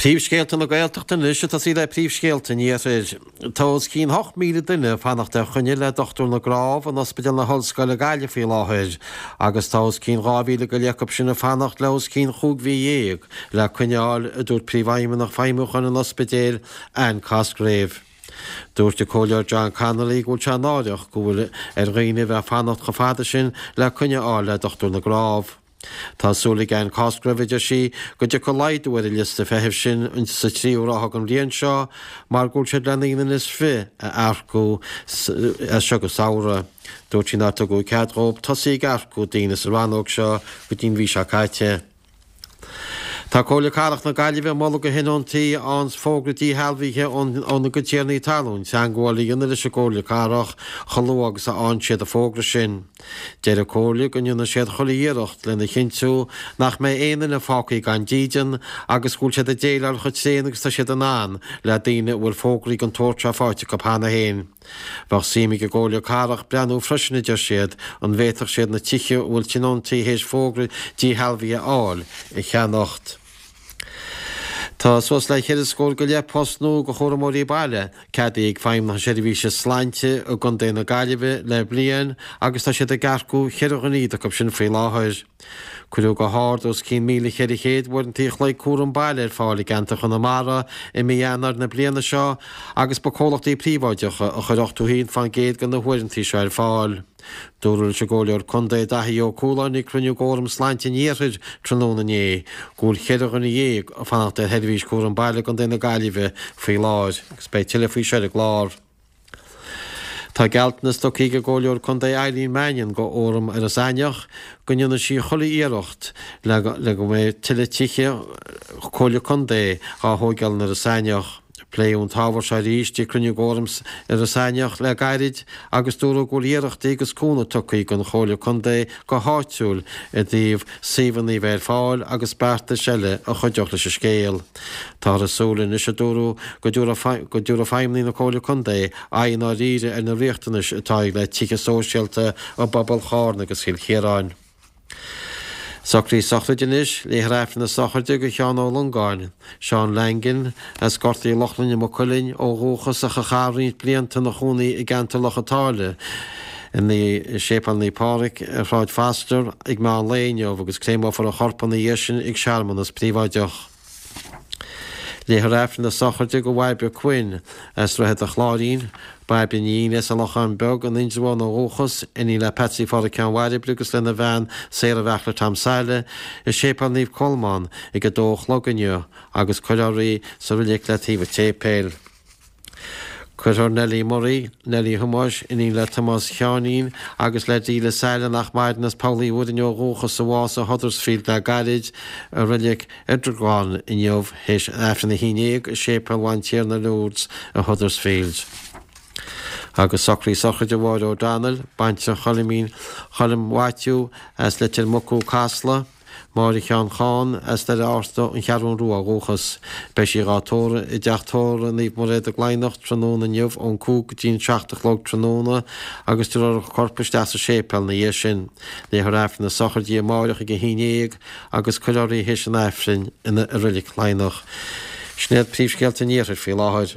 Príomhscéalta na Gaeltachta anois ag tosaí le príomhscéalta an Iarthair. Tá os cionn 8,000 duine ag fanacht ar choinne le Dochtúir na gCnámh in Ospidéal na hOllscoile Gaillimh faoi láthair agus tá os cionn 2,000 go leith acu sin ag fanacht le os cionn chúig mhí dhéag le coinne a fháil, a dúirt Príomhfheidhmeannach Feidhmiúcháin an ospidéil, Anne Cosgrave. Dúirt an Comhairleoir John Connolly go bhfuil sé náireach go bhfuil ar dhaoine a bheith ag fanacht chomh fada sin le coinne a fháil le Dochtúir na gCnámh. Tá súil ag Anne Cosgrave, a deir sí, go dtiocfaidh laghdú ar an liosta feithimh sin sa tríú ráithe den bhliain seo mar go bhfuil siad le naoi nduine is fiche a earcú as seo go samhradh. Dúirt sí nár tugadh cead dhóibh tosaí ag earcú daoine sa rannóg seo go dtí an mhí seo caite. Tá Comhairle Cathrach na Gaillimhe ag moladh do thionóntaí a fhaigheanns fógra díshealbhaithe óna gcuid tiarnaí talún teagmháil a dhéanamh leis an gComhairle Cathrach chomh luath agus a fhaigheann siad an fógra sin. Deir an Comhairle go ndéanfaidh siad chuile iarracht lena chinntiú nach mbeidh aon duine fágtha gan dídean agus go bhfuil siad ag déileáil chomh tréan agus tá siad in ann le daoine a bhfuil fógraí den tsórt seo faighte acu cheana féin. Bheadh suim ag an gComhairle Cathrach breathnú freisin, a deir siad, an bhféadfadh siad na tithe a bhfuil tionóntaí théis fógra díshealbhaithe a fháil, a cheannacht. Tá suas le cheithre scór go leith post nua do chúramóirí baile ceadaithe ag Feidhmeannacht na Seirbhíse Sláinte i gContae na Gaillimhe le bliain agus tá siad ag earcú cheithre dhuine acu sin faoi láthair. Cuireadh go hard os cionn 1,400 uaireanta an chloig cúram baile ar fáil i gceantar Chonamara i mí Eanáir na bliana seo agus ba comhlachtaí príobháideacha a chuir 81% de na huaireanta seo ar fáil. Dúradh leis an gComhairleoir Contae Daithí Ó Cualáin ag cruinniú d'Fhóram Sláinte an Iarthair tráthnóna inné go bhfuil cheithre dhuine dhéag ag fanacht ar sheirbhís cúram baile i gContae na Gaillimhe faoi láthair agus beidh tuilleadh faoi seo ar an gclár. Tá gealltanas tugtha ag an gComhairleoir Contae Eileen Mannion go Fhóram Iorras Aithneach go ndéanfaidh sí chuile iarracht le go mbeidh tuilleadh tithe Comhairle Contae dhá thóigeáil in Iorras Aithneach. Pléadh an t-ábhar seo arís ag cruinniú d'Fhóram Iorras Aithneach le gairid agus dúradh go bhfuil iarrachtaí agus cúnamh tugtha ag an Chomhairle Contae go háitiúil i dtaobh suíomhanna a bheith ar fáil agus beartais eile a chuideodh leis an scéal. Táthar ag súil anois, a dúradh, go dtabharfaidh feidhmeannaigh na Comhairle Contae aghaidh i ndáiríre ar na riachtanais atá le tithe sóisialta i bpobail Chárna agus Chill Chiaráin. Socruithe sochraide anois, Léifear Aifreann na sochraide do Sheán Ó Longáin, Seán Langan, as Gort Uí Lochlainn i Maigh Cuilinn ó dhúchas ach a chaith roinnt blianta ina chónaí i gceantar Loch an tSáile i Séipéal Naomh Pádraig ar Shráid Foster ag meán lae inniu agus créamófar a chorp ina dhiaidh sin ag searmanas príobháideach. Léifear Aifreann na sochraide do Bhairbre Quinn as Droichead an Chláirín, Bairbre Ní Fhinn as an Lochán Beag in Indreabhán ó dhúchas, iníon le Patsy Phádraic Sheáin Bhairbre agus lena bhean Sarah Bheartla Tom Saile, i Séipéal Naomh Colmán ag 2 a chlog inniu agus cuirfear í sa reilig le taobh an tséipéil. Cuirfear Nellie Murray, Nellie Thomáis, iníon le Tomás Sheáinín agus le Delia Saile nach maireann as Poll Uí Mhuirinn ó dhúchas a bhásaigh i Huddersfield le gairid, i reilig Edragowan inniu théis Aifreann a haon déag i Séipéal Bhantiarna Lourdes i Huddersfield. Agus socruithe sochraide Mháire O'Donnell, baintreach Choilimín Choilm Mhaitiú as Leitir Mucú, Casla, Máire Sheáin Chán, as Doire Fhárta, An Cheathrún Rua ó dhúchas. Beidh sí dhá tórramh i dTeach Tórraimh Naomh Mairéad i gCladhnach tráthnóna inniu ón 5 go dtí an 7 a chlog tráthnóna agus tabharfar a corp isteach sa séipéal ina dhiaidh sin. Léifear Aifreann na sochraide amáireach ag 11 agus cuirfear í théis an Aifrinn ina i Reilig Chladhnach. Sin iad príomhscéalta an Iarthair faoi láthair.